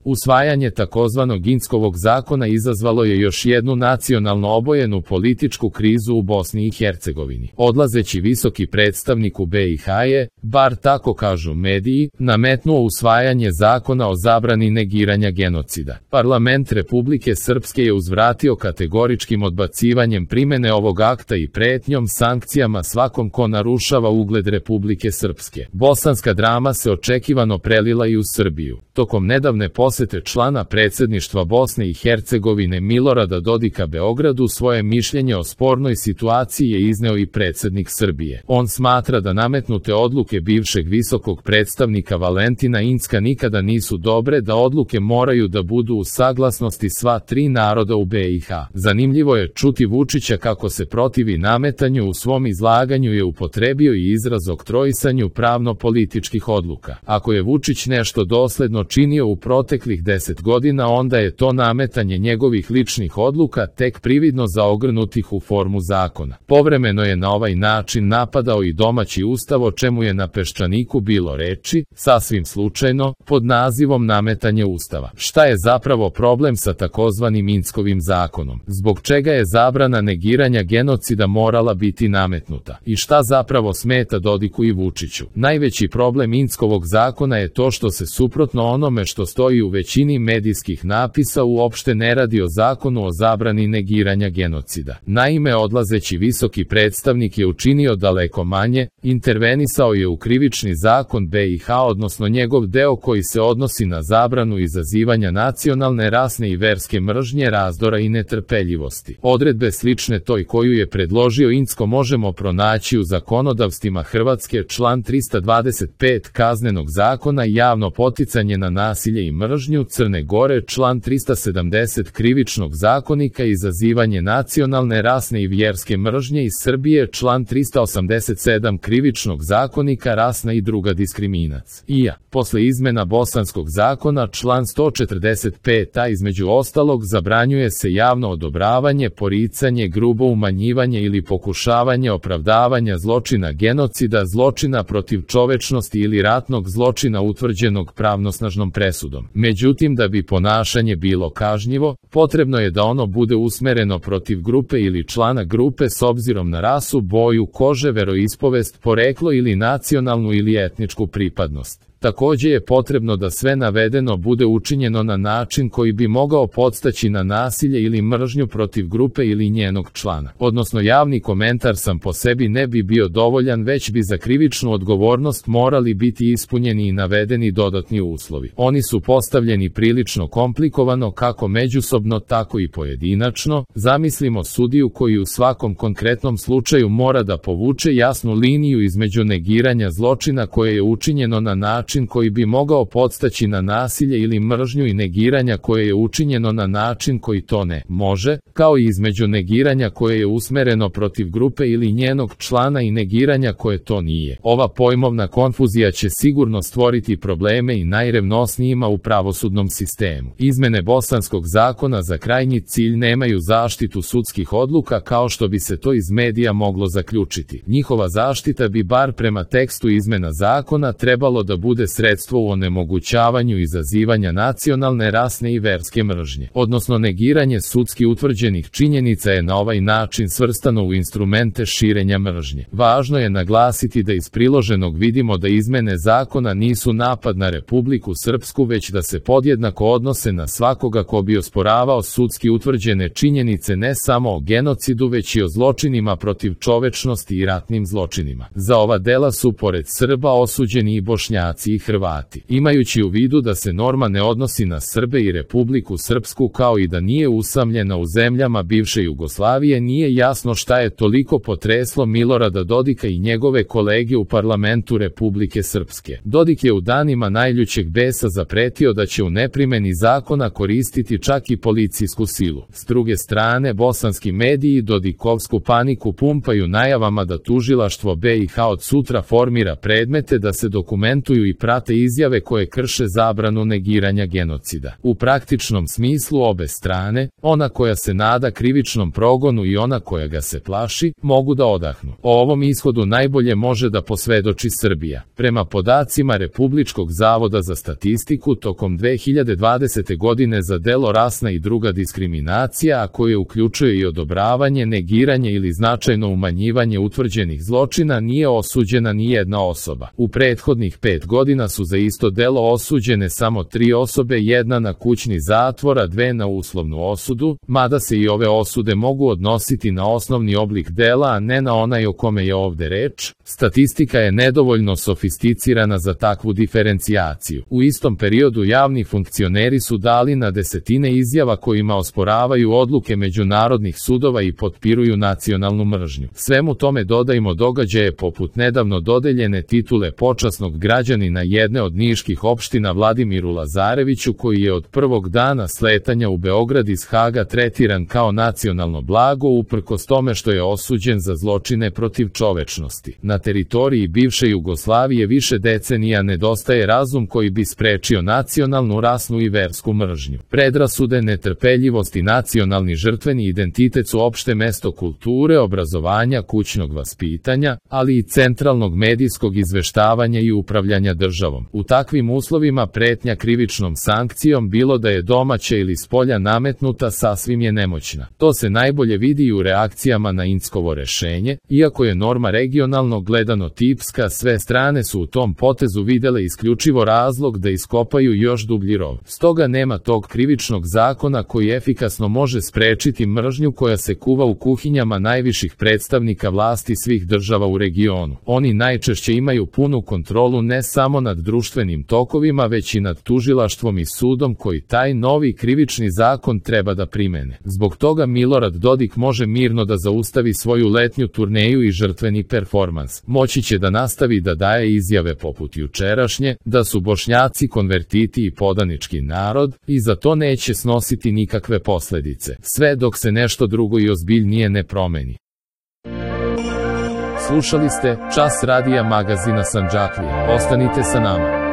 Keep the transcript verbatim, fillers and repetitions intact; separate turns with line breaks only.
Usvajanje takozvanog Inckovog zakona izazvalo je još jednu nacionalno obojenu političku krizu u Bosni i Hercegovini. Odlazeći visoki predstavnik u be i ha je, bar tako kažu mediji, nametnuo usvajanje zakona o zabrani negiranja genocida. Parlament Republike Srpske je uzvratio kategoričkim odbacivanjem primene ovog akta i pretnjom sankcijama svakom ko narušava ugled Republike Srpske. Bosanska drama se očekivano prelila i u Srbiju. Tokom nedavne posete člana predsjedništva Bosne i Hercegovine Milorada Dodika Beogradu svoje mišljenje o spornoj situaciji je izneo i predsjednik Srbije. On smatra da nametnute odluke bivšeg visokog predstavnika Valentina Incka nikada nisu dobre, da odluke moraju da budu u saglasnosti sva tri naroda u be i ha. Zanimljivo je čuti Vučića kako se protivi nametanju. U svom izlaganju je upotrebio i izraz oktroisanju pravno-političkih odluka. Ako je Vučić nešto dosledno činio u proteklih deset godina, onda je to nametanje njegovih ličnih odluka, tek prividno zaogrnutih u formu zakona. Povremeno je na ovaj način napadao i domaći ustav, o čemu je na Peščaniku bilo reči, sasvim slučajno, pod nazivom nametanje ustava. Šta je zapravo problem sa takozvanim Inckovim zakonom? Zbog čega je zabrana negiranja genocida morala biti nametnuta? I šta zapravo smeta Dodiku i Vučiću? Najveći problem Inckovog zakona je to što se suprotno onome što stoji u većini medijskih napisa uopšte ne radi o zakonu o zabrani negiranja genocida. Naime, odlazeći visoki predstavnik je učinio daleko manje, intervenisao je u krivični zakon be i ha, odnosno njegov deo koji se odnosi na zabranu izazivanja nacionalne, rasne i verske mržnje, razdora i netrpeljivosti. Odredbe slične toj koju je predložio Incko možemo pronaći u zakonodavstvima Hrvatske, član trista dvadeset pet Kaznenog zakona, javno poticanje na nasilje i mržnju, Crne Gore, član trista sedamdeset Krivičnog zakonika, izazivanje nacionalne, rasne i vjerske mržnje, iz Srbije, član trista osamdeset sedam Krivičnog zakonika, rasna i druga diskriminacija. I a, posle izmena Bosanskog zakona, član sto četrdeset pet a, između ostalog, zabranjuje se javno odobravanje, poricanje, grubo umanjivanje ili pokušavanje opravdavanja zločina genocida, zločina protiv čovečnosti ili ratnog zločina utvrđenog pravnosnažnom presudom. Međutim, da bi ponašanje bilo kažnjivo, potrebno je da ono bude usmereno protiv grupe ili člana grupe s obzirom na rasu, boju kože, veroispovest, poreklo ili nacionalnu ili etničku pripadnost. Takođe je potrebno da sve navedeno bude učinjeno na način koji bi mogao podstaći na nasilje ili mržnju protiv grupe ili njenog člana. Odnosno, javni komentar sam po sebi ne bi bio dovoljan, već bi za krivičnu odgovornost morali biti ispunjeni i navedeni dodatni uslovi. Oni su postavljeni prilično komplikovano, kako međusobno, tako i pojedinačno. Zamislimo sudiju koji u svakom konkretnom slučaju mora da povuče jasnu liniju između negiranja zločina koje je učinjeno na način koji bi mogao podstaći na nasilje ili mržnju i negiranja koje je učinjeno na način koji to ne može, kao i između negiranja koje je usmereno protiv grupe ili njenog člana i negiranja koje to nije. Ova pojmovna konfuzija će sigurno stvoriti probleme i najrevnosnijima u pravosudnom sistemu. Izmene Bosanskog zakona za krajnji cilj nemaju zaštitu sudskih odluka kao što bi se to iz medija moglo zaključiti. Njihova zaštita bi, bar prema tekstu izmena zakona, trebalo da bude sredstvo u onemogućavanju izazivanja nacionalne, rasne i verske mržnje. Odnosno, negiranje sudski utvrđenih činjenica je na ovaj način svrstano u instrumente širenja mržnje. Važno je naglasiti da iz priloženog vidimo da izmene zakona nisu napad na Republiku Srpsku, već da se podjednako odnose na svakoga ko bi osporavao sudski utvrđene činjenice ne samo o genocidu, već i o zločinima protiv čovečnosti i ratnim zločinima. Za ova dela su, pored Srba, osuđeni i Bošnjaci i Hrvati. Imajući u vidu da se norma ne odnosi na Srbe i Republiku Srpsku, kao i da nije usamljena u zemljama bivše Jugoslavije, nije jasno šta je toliko potreslo Milorada Dodika i njegove kolege u parlamentu Republike Srpske. Dodik je u danima najljućeg besa zapretio da će u neprimeni zakona koristiti čak i policijsku silu. S druge strane, bosanski mediji dodikovsku paniku pumpaju najavama da tužilaštvo be i ha od sutra formira predmete da se dokumentuju i prate izjave koje krše zabranu negiranja genocida. U praktičnom smislu obe strane, ona koja se nada krivičnom progonu i ona koja ga se plaši, mogu da odahnu. O ovom ishodu najbolje može da posvedoči Srbija. Prema podacima Republičkog zavoda za statistiku, tokom dve hiljade dvadesete godine za delo rasna i druga diskriminacija, a koje uključuje i odobravanje, negiranje ili značajno umanjivanje utvrđenih zločina, nije osuđena ni jedna osoba. U prethodnih pet godina su za isto delo osuđene samo tri osobe, jedna na kućni zatvor, a dve na uslovnu osudu, mada se i ove osude mogu odnositi na osnovni oblik dela, a ne na onaj o kome je ovde reč. Statistika je nedovoljno sofisticirana za takvu diferencijaciju. U istom periodu javni funkcioneri su dali na desetine izjava kojima osporavaju odluke međunarodnih sudova i potpiruju nacionalnu mržnju. Svemu tome dodajmo događaje poput nedavno dodeljene titule počasnog građanina jedne od niških opština Vladimiru Lazareviću, koji je od prvog dana sletanja u Beograd iz Haga tretiran kao nacionalno blago uprkos tome što je osuđen za zločine protiv čovečnosti. Na teritoriji bivše Jugoslavije više decenija nedostaje razum koji bi sprečio nacionalnu, rasnu i versku mržnju. Predrasude, netrpeljivost i nacionalni žrtveni identitet su opšte mesto kulture, obrazovanja, kućnog vaspitanja, ali i centralnog medijskog izveštavanja i upravljanja državom. U takvim uslovima pretnja krivičnom sankcijom, bilo da je domaća ili spolja nametnuta, sasvim je nemoćna. To se najbolje vidi i u reakcijama na Inckovo rešenje. Iako je norma regionalno gledano tipska, sve strane su u tom potezu videle isključivo razlog da iskopaju još dublji rov. Stoga nema tog krivičnog zakona koji efikasno može sprečiti mržnju koja se kuva u kuhinjama najviših predstavnika vlasti svih država u regionu. Oni najčešće imaju punu kontrolu ne samo nad društvenim tokovima, već i nad tužilaštvom i sudom koji taj novi krivični zakon treba da primene. Zbog toga Milorad Dodik može mirno da zaustavi svoju letnju turneju i žrtveni performans. Moći će da nastavi da daje izjave poput jučerašnje, da su Bošnjaci konvertiti i podanički narod, i za to neće snositi nikakve posledice, sve dok se nešto drugo i ozbiljnije ne promeni. Slušali ste Čas radija magazina Sandžaklija. Ostanite sa nama.